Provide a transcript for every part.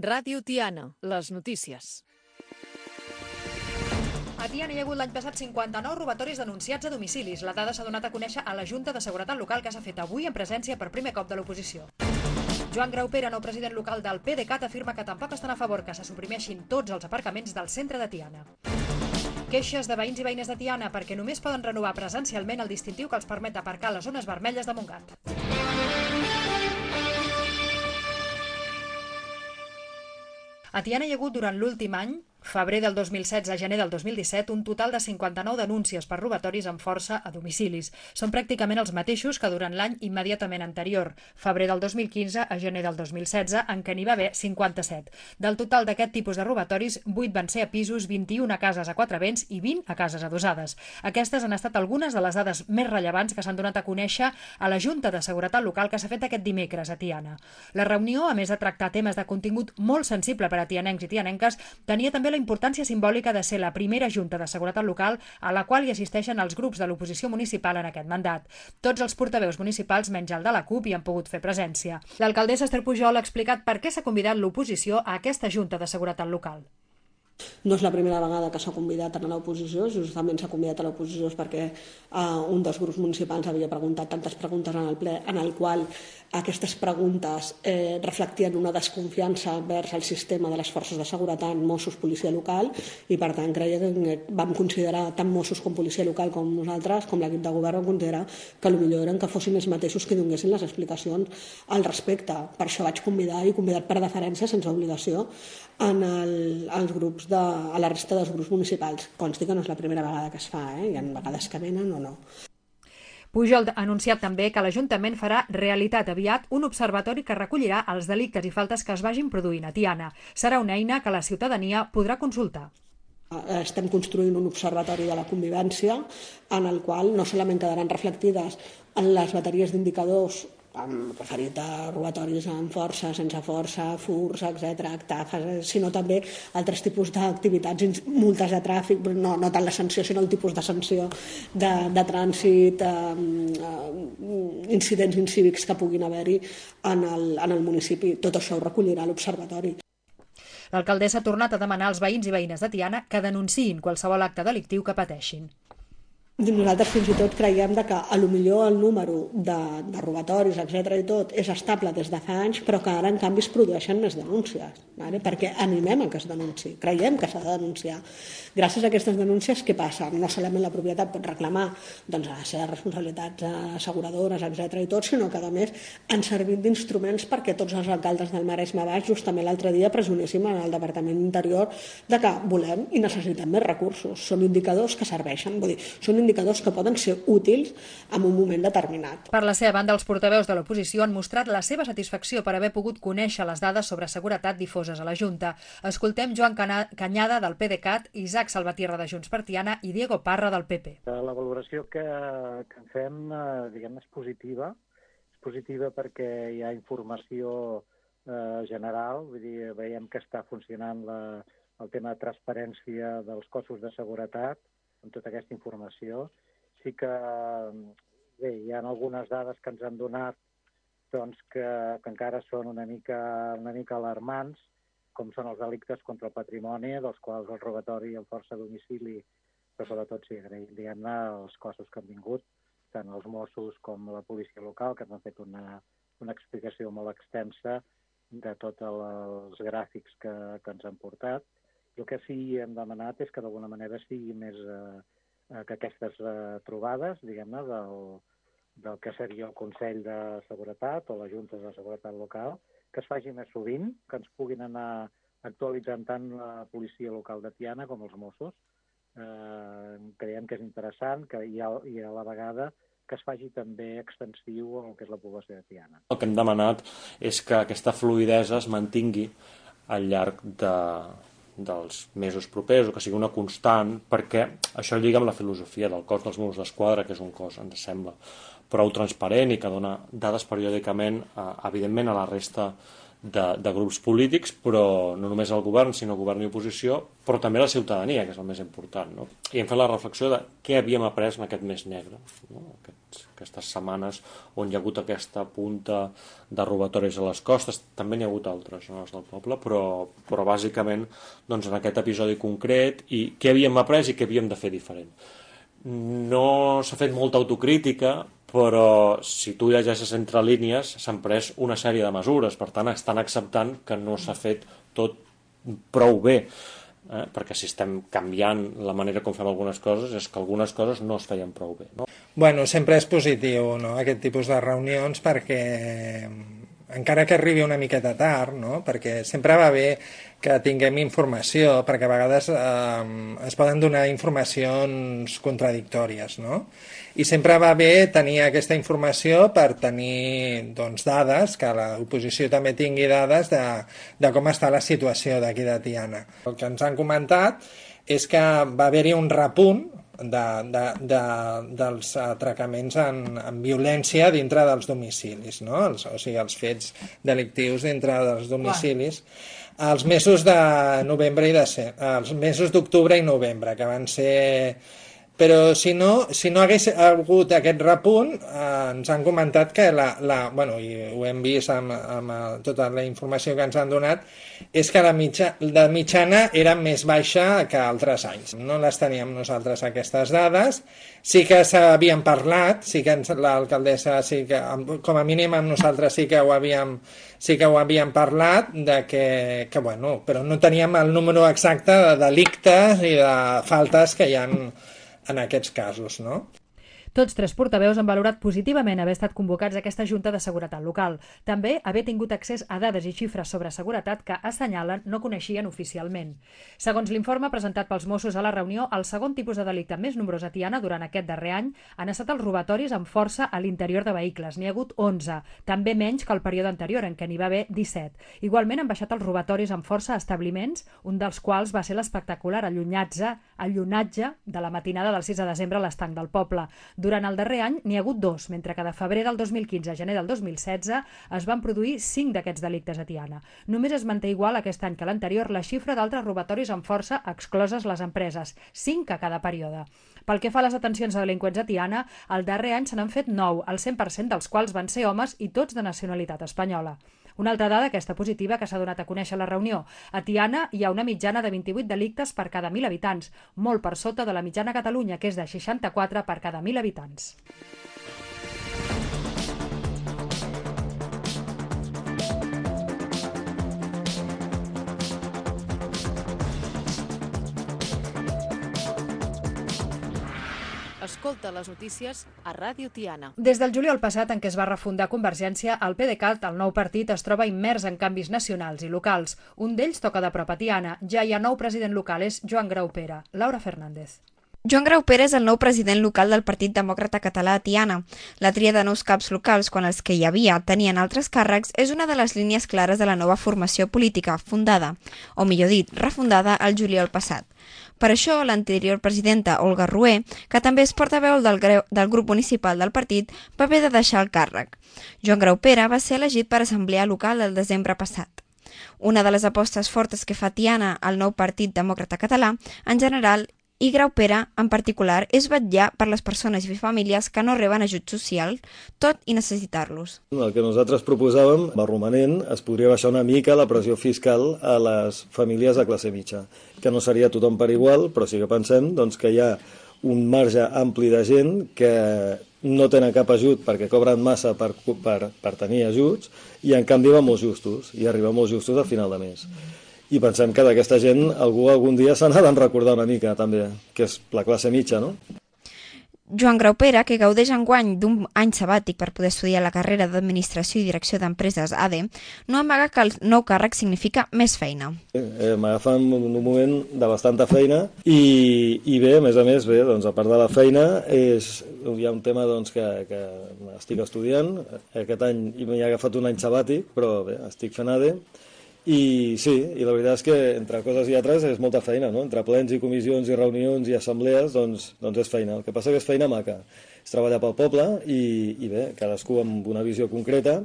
Ràdio Tiana, les notícies. A Tiana hi ha hagut l'any passat 59 robatoris denunciats a domicilis. La dada s'ha donat a conèixer a la Junta de Seguretat Local que s'ha fet avui en presència per primer cop de l'oposició. Joan Graupera, nou president local del PDeCAT, afirma que tampoc estan a favor que se suprimeixin tots els aparcaments del centre de Tiana. Queixes de veïns i veïnes de Tiana perquè només poden renovar presencialment el distintiu que els permet aparcar a les zones vermelles de Montgat. A Tiana hi ha hagut durant l'últim any, febrer del 2016 a gener del 2017, un total de 59 denúncies per robatoris amb força a domicilis. Són pràcticament els mateixos que durant l'any immediatament anterior, febrer del 2015 a gener del 2016, en què n'hi va haver 57. Del total d'aquest tipus de robatoris, 8 van ser a pisos, 21 a cases a 4 vents i 20 a cases adossades. Aquestes han estat algunes de les dades més rellevants que s'han donat a conèixer a la Junta de Seguretat Local que s'ha fet aquest dimecres a Tiana. La reunió, a més de tractar temes de contingut molt sensible per a tianencs i tianenques, tenia també la importància simbòlica de ser la primera Junta de Seguretat Local a la qual hi assisteixen els grups de l'oposició municipal en aquest mandat. Tots els portaveus municipals, menys el de la CUP, hi han pogut fer presència. L'alcaldessa Esther Pujol ha explicat per què s'ha convidat l'oposició a aquesta Junta de Seguretat Local. No és la primera vegada que s'ha convidat a l'oposició, justament s'ha convidat a l'oposició perquè un dels grups municipals havia preguntat tantes preguntes en el ple en el qual aquestes preguntes reflectien una desconfiança vers el sistema de les forces de seguretat, Mossos, policia local, i per tant creia que vam considerar, tant Mossos com policia local com nosaltres, com l'equip de govern, vam considerar que millor eren que fossin els mateixos que donessin les explicacions al respecte. Per això vaig convidar, i convidat per deferència, sense obligació, als grups a la resta dels grups municipals. Consti que no és la primera vegada que es fa, hi ha vegades que venen o no. Pujol ha anunciat també que l'Ajuntament farà realitat aviat un observatori que recollirà els delictes i faltes que es vagin produint a Tiana. Serà una eina que la ciutadania podrà consultar. Estem construint un observatori de la convivència en el qual no solament quedaran reflectides en les bateries d'indicadors referit a robatoris amb força, sense força, furs, etc., sinó també altres tipus d'activitats, multes de tràfic, no tant la sanció, sinó el tipus de sanció de trànsit, incidents incívics que puguin haver-hi en el municipi. Tot això ho recollirà l'observatori. L'alcaldessa ha tornat a demanar als veïns i veïnes de Tiana que denunciïn qualsevol acte delictiu que pateixin. Nosaltres fins i tot creiem que potser el número de robatoris, etc. i tot, és estable des de fa anys, però que ara en canvi es produeixen més denúncies, perquè animem a que es denunciï, creiem que s'ha de denunciar. Gràcies a aquestes denúncies, què passa? No solament la propietat pot reclamar les seves responsabilitats asseguradores, etc. i tot, sinó que a més han servit d'instruments perquè tots els alcaldes del Maresme Baix, justament l'altre dia presioníssim al Departament d'Interior de que volem i necessitem més recursos. Són indicadors que serveixen, vull dir, són indicadors que poden ser útils en un moment determinat. Per la seva banda, els portaveus de l'oposició han mostrat la seva satisfacció per haver pogut conèixer les dades sobre seguretat difoses a la Junta. Escoltem Joan Canyada del PDeCAT, Isaac Salvatierra de Junts per Tiana i Diego Parra del PP. La valoració que en fem, diguem, és positiva. És positiva perquè hi ha informació general, vull dir, veiem que està funcionant el tema de transparència dels cossos de seguretat amb tota aquesta informació. Sí que bé, hi ha algunes dades que ens han donat que encara són una mica alarmants, com són els delictes contra el patrimoni, dels quals el robatori amb força a domicili, però sobretot sí, diguem-ne, els cossos que han vingut, tant els Mossos com la policia local, que ens han fet una explicació molt extensa de tots els gràfics que ens han portat. El que sí hem demanat és que d'alguna manera sigui més que aquestes trobades, diguem-ne, del que seria el Consell de Seguretat o la Junta de Seguretat Local, que es faci més sovint, que ens puguin anar actualitzant tant la policia local de Tiana com els Mossos. Creiem que és interessant i a la vegada que es faci també extensiu al que és la població de Tiana. El que hem demanat és que aquesta fluïdesa es mantingui al llarg dels mesos propers, o que sigui una constant, perquè això lliga amb la filosofia del cos dels Mossos d'Esquadra, que és un cos, ens sembla, prou transparent i que dona dades periòdicament, evidentment, a la resta de grups polítics, però no només el govern, sinó govern i oposició, però també la ciutadania, que és el més important, no? I hem fet la reflexió de què havíem après en aquest mes negre, no? Aquestes setmanes on hi ha hagut aquesta punta de robatoris a les costes, també n'hi ha hagut altres zones del poble, però bàsicament doncs, en aquest episodi concret, i què havíem après i què havíem de fer diferent. No s'ha fet molta autocrítica, però si tu llegeixes entre línies s'han pres una sèrie de mesures, per tant estan acceptant que no s'ha fet tot prou bé, perquè si estem canviant la manera com fem algunes coses és que algunes coses no es feien prou bé, no? Bueno, sempre és positiu, no?, aquest tipus de reunions, perquè encara que arribi una miqueta tard, no?, perquè sempre va bé que tinguem informació, perquè a vegades es poden donar informacions contradictòries, no? I sempre va bé tenir aquesta informació per tenir doncs, dades, que l'oposició també tingui dades de com està la situació d'aquí de Tiana. El que ens han comentat és que va haver-hi un repunt dels atracaments en violència dintre dels domicilis, no? O sigui, els fets delictius dintre dels domicilis. Els mesos de novembre i els mesos d'octubre i novembre, que van ser... Però si no hagués hagut aquest repunt, ens han comentat que bueno, i ho hem vist amb tota la informació que ens han donat, és que la mitjana era més baixa que altres anys. No les teníem nosaltres, aquestes dades. Sí que s'havien parlat, sí que l'alcaldessa, sí que, com a mínim amb nosaltres sí que ho havíem parlat, de que bueno, però no teníem el número exacte de delictes i de faltes que hi ha en aquests casos, no? Tots tres portaveus han valorat positivament haver estat convocats a aquesta Junta de Seguretat Local. També haver tingut accés a dades i xifres sobre seguretat que, assenyalen, no coneixien oficialment. Segons l'informe presentat pels Mossos a la reunió, el segon tipus de delicte més nombrós a Tiana durant aquest darrer any han estat els robatoris amb força a l'interior de vehicles. N'hi ha hagut 11, també menys que el període anterior, en què n'hi va haver 17. Igualment han baixat els robatoris amb força a establiments, un dels quals va ser l'espectacular allunatge de la matinada del 6 de desembre a l'estanc del poble. Durant el darrer any n'hi ha hagut 2, mentre que de febrer del 2015 a gener del 2016 es van produir 5 d'aquests delictes a Tiana. Només es manté igual aquest any que l'anterior la xifra d'altres robatoris amb força excloses les empreses, 5 a cada període. Pel que fa a les detencions de delinqüents a Tiana, el darrer any se n'han fet 9, el 100% dels quals van ser homes i tots de nacionalitat espanyola. Una altra dada, aquesta positiva, que s'ha donat a conèixer a la reunió. A Tiana hi ha una mitjana de 28 delictes per cada 1.000 habitants, molt per sota de la mitjana a Catalunya, que és de 64 per cada 1.000 habitants. Escolta les notícies a Ràdio Tiana. Des del juliol passat, en què es va refundar Convergència, el PDeCAT, el nou partit, es troba immers en canvis nacionals i locals. Un d'ells toca de prop a Tiana. Ja hi ha nou president local, és Joan Graupera. Laura Fernández. Joan Graupera és el nou president local del Partit Demòcrata Català a Tiana. La tria de nous caps locals, quan els que hi havia tenien altres càrrecs, és una de les línies clares de la nova formació política fundada, o millor dit, refundada el juliol passat. Per això, l'anterior presidenta, Olga Rué, que també és portaveu del grup municipal del partit, va haver de deixar el càrrec. Joan Graupera va ser elegit per assemblea local el desembre passat. Una de les apostes fortes que fa Tiana al nou Partit Demòcrata Català, en general, i Graupera, en particular, és vetllar per les persones i famílies que no reben ajut social, tot i necessitar-los. El que nosaltres proposàvem, va romanent, es podria baixar una mica la pressió fiscal a les famílies de classe mitja, que no seria tothom per igual, però sí que pensem doncs, que hi ha un marge ampli de gent que no tenen cap ajut perquè cobren massa per tenir ajuts i en canvi va molt justos, i arriba molt justos al final de mes. I pensem que d'aquesta gent algú algun dia se n'ha de recordar una mica també, que és la classe mitja, no? Joan Graupera, que gaudeix enguany d'un any sabàtic per poder estudiar la carrera d'Administració i Direcció d'Empreses ADE, no amaga que el nou càrrec significa més feina. M'agafen un moment de bastanta feina i bé, a més, bé, doncs, a part de la feina, hi ha un tema doncs, que estic estudiant. Aquest any m'he agafat un any sabàtic, però bé, estic fent ADE. I sí, i la veritat és que entre coses i altres és molta feina, no? Entre plens i comissions i reunions i assemblees, doncs és feina. El que passa que és feina maca. És treballar pel poble i bé, cadascú amb una visió concreta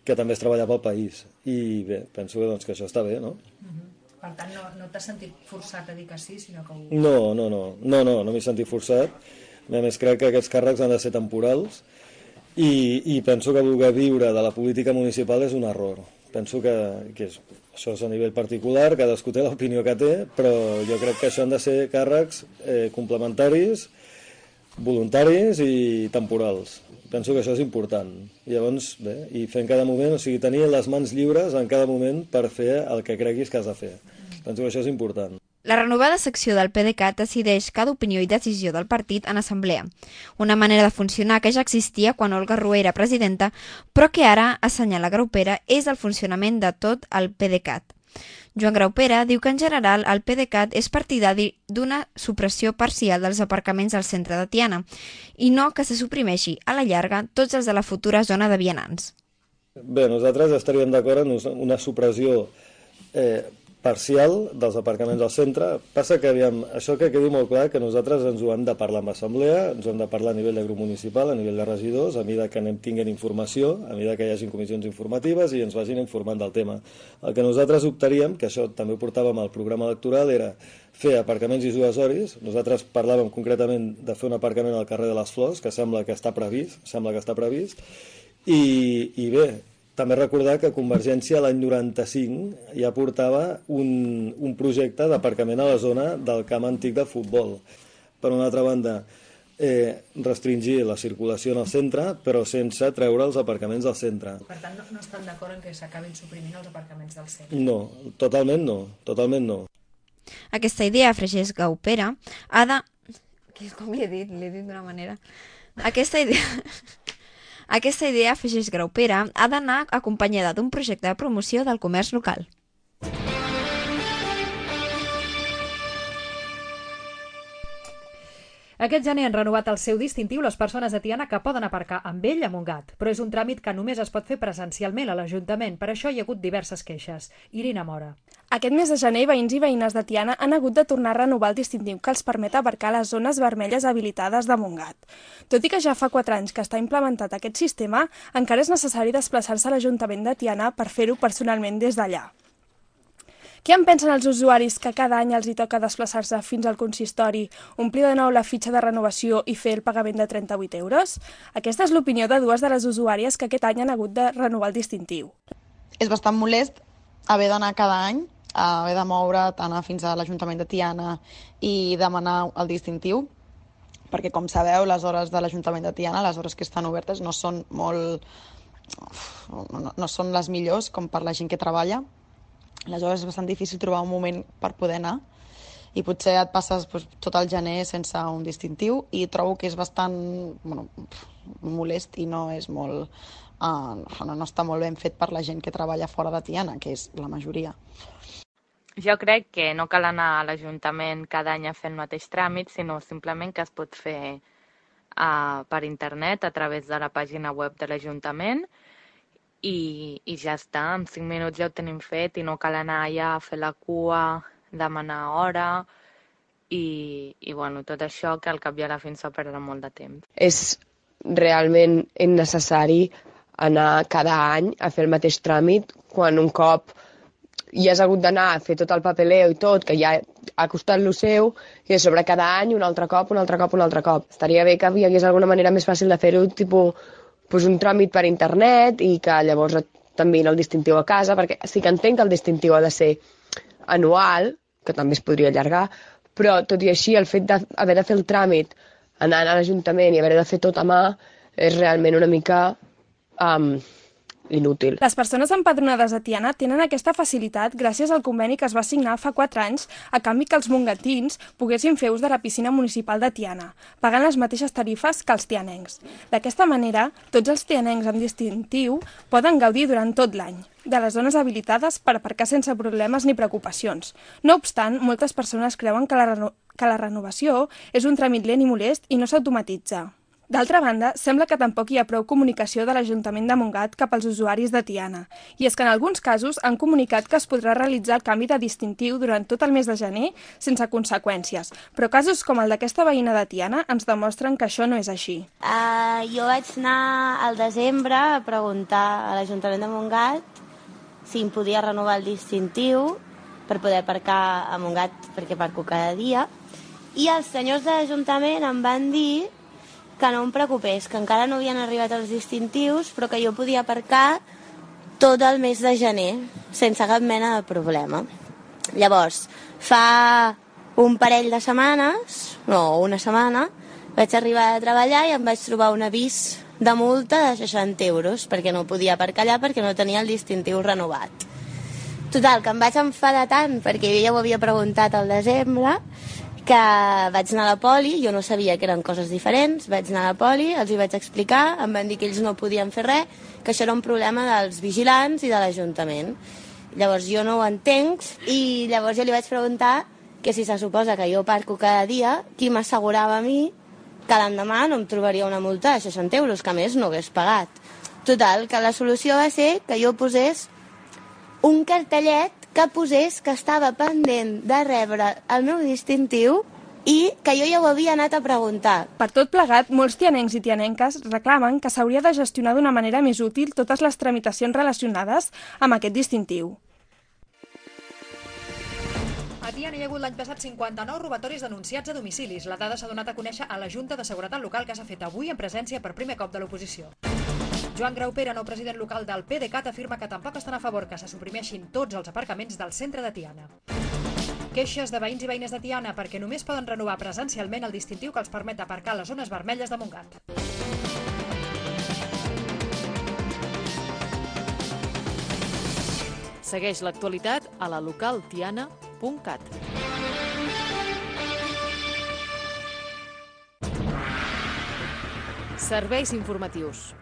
que també és treballar pel país. I bé, penso que, doncs, que això està bé, no? Per tant, no t'has sentit forçat a dir que sí, sinó que ho... No m'he sentit forçat. A més, crec que aquests càrrecs han de ser temporals i penso que voler viure de la política municipal és un error. Penso que això és a nivell particular, cadascú té l'opinió que té, però jo crec que això han de ser càrrecs complementaris, voluntaris i temporals. Penso que això és important. Llavors, bé, i fer en cada moment, o sigui, tenir les mans lliures en cada moment per fer el que creguis que has de fer. Penso que això és important. La renovada secció del PDeCAT decideix cada opinió i decisió del partit en assemblea. Una manera de funcionar que ja existia quan Olga Rué era presidenta, però que ara, assenyala Graupera, és el funcionament de tot el PDeCAT. Joan Graupera diu que en general el PDeCAT és partidari d'una supressió parcial dels aparcaments al centre de Tiana i no que se suprimeixi a la llarga tots els de la futura zona de vianants. Bé, nosaltres estaríem d'acord en una supressió parcial dels aparcaments al centre. Passa que, això que quedi molt clar, que nosaltres ens ho hem de parlar amb l'assemblea, ens ho hem de parlar a nivell de grup municipal, a nivell de regidors, a mesura que tinguin informació, a mesura que hi hagi comissions informatives i ens vagin informant del tema. El que nosaltres optaríem, que això també ho portàvem al programa electoral, era fer aparcaments dissuasoris. Nosaltres parlàvem concretament de fer un aparcament al carrer de les Flors, que sembla que està previst, i bé, també recordar que Convergència l'any 95 ja portava un projecte d'aparcament a la zona del camp antic de futbol. Per una altra banda, restringir la circulació en el centre, però sense treure els aparcaments del centre. Per tant, no estan d'acord en que s'acabin suprimint els aparcaments del centre? No, totalment no. Aquesta idea, afegeix Graupera, ha de... Com l'he dit d'una manera... Aquesta idea, afegeix Graupera, ha d'anar acompanyada d'un projecte de promoció del comerç local. Aquest gener han renovat el seu distintiu les persones de Tiana que poden aparcar amb ell a Montgat, però és un tràmit que només es pot fer presencialment a l'Ajuntament. Per això hi ha hagut diverses queixes. Irina Mora. Aquest mes de gener, veïns i veïnes de Tiana han hagut de tornar a renovar el distintiu que els permet aparcar les zones vermelles habilitades de Montgat. Tot i que ja fa 4 anys que està implementat aquest sistema, encara és necessari desplaçar-se a l'Ajuntament de Tiana per fer-ho personalment des d'allà. Què en pensen els usuaris que cada any els hi toca desplaçar-se fins al consistori, omplir de nou la fitxa de renovació i fer el pagament de 38 euros? Aquesta és l'opinió de 2 de les usuàries que aquest any han hagut de renovar el distintiu. És bastant molest haver d'anar cada any, haver de moure't, anar fins a l'Ajuntament de Tiana i demanar el distintiu, perquè, com sabeu, les hores de l'Ajuntament de Tiana, les hores que estan obertes, no són les millors com per la gent que treballa. Aleshores és bastant difícil trobar un moment per poder anar i potser et passes tot el gener sense un distintiu i trobo que és bastant molest i no és molt... no està molt ben fet per la gent que treballa fora de Tiana, que és la majoria. Jo crec que no cal anar a l'Ajuntament cada any a fer el mateix tràmit, sinó simplement que es pot fer per internet a través de la pàgina web de l'Ajuntament i ja està, en 5 minuts ja ho tenim fet i no cal anar allà a fer la cua, demanar hora i tot això que al cap i a la fi ens fa perdre molt de temps. És realment innecessari anar cada any a fer el mateix tràmit quan un cop ja has hagut d'anar a fer tot el papeleo i tot, que ja ha costat lo seu, i a sobre cada any un altre cop. Estaria bé que hi hagués alguna manera més fàcil de fer-ho, tipus un tràmit per internet i que llavors t'enviïn el distintiu a casa, perquè sí que entenc que el distintiu ha de ser anual, que també es podria allargar, però tot i així el fet d'haver de fer el tràmit anant a l'Ajuntament i haver de fer tot a mà és realment una mica inútil. Les persones empadronades a Tiana tenen aquesta facilitat gràcies al conveni que es va signar fa 4 anys a canvi que els mongatins poguessin fer ús de la piscina municipal de Tiana, pagant les mateixes tarifes que els tianencs. D'aquesta manera, tots els tianencs amb distintiu poden gaudir durant tot l'any de les zones habilitades per aparcar sense problemes ni preocupacions. No obstant, moltes persones creuen que la renovació és un tràmit lent i molest i no s'automatitza. D'altra banda, sembla que tampoc hi ha prou comunicació de l'Ajuntament de Montgat cap als usuaris de Tiana. I és que en alguns casos han comunicat que es podrà realitzar el canvi de distintiu durant tot el mes de gener sense conseqüències. Però casos com el d'aquesta veïna de Tiana ens demostren que això no és així. Jo vaig anar al desembre a preguntar a l'Ajuntament de Montgat si em podia renovar el distintiu per poder aparcar a Montgat perquè aparco cada dia. I els senyors de l'Ajuntament em van dir que no em preocupés, que encara no havien arribat els distintius, però que jo podia aparcar tot el mes de gener, sense cap mena de problema. Llavors, fa un parell de setmanes, una setmana, vaig arribar a treballar i em vaig trobar un avís de multa de 60 euros, perquè no podia aparcar allà perquè no tenia el distintiu renovat. Total, que em vaig enfadar tant, perquè jo ja ho havia preguntat al desembre, que vaig anar a la poli, jo no sabia que eren coses diferents, vaig anar a la poli, els hi vaig explicar, em van dir que ells no podien fer res, que això era un problema dels vigilants i de l'Ajuntament. Llavors jo no ho entenc i llavors jo li vaig preguntar que si se suposa que jo aparco cada dia, qui m'assegurava a mi que l'endemà no em trobaria una multa de 60 euros, que a més no hagués pagat. Total, que la solució va ser que jo posés un cartellet que posés que estava pendent de rebre el meu distintiu i que jo ja ho havia anat a preguntar. Per tot plegat, molts tianencs i tianenques reclamen que s'hauria de gestionar d'una manera més útil totes les tramitacions relacionades amb aquest distintiu. A Tiana hi ha hagut l'any passat 59 robatoris denunciats a domicilis. La dada s'ha donat a conèixer a la Junta de Seguretat Local que s'ha fet avui en presència per primer cop de l'oposició. Joan Graupera, nou president local del PDeCAT, afirma que tampoc estan a favor que se suprimeixin tots els aparcaments del centre de Tiana. Queixes de veïns i veïnes de Tiana perquè només poden renovar presencialment el distintiu que els permet aparcar a les zones vermelles de Montgat. Segueix l'actualitat a la localtiana.cat. Serveis informatius.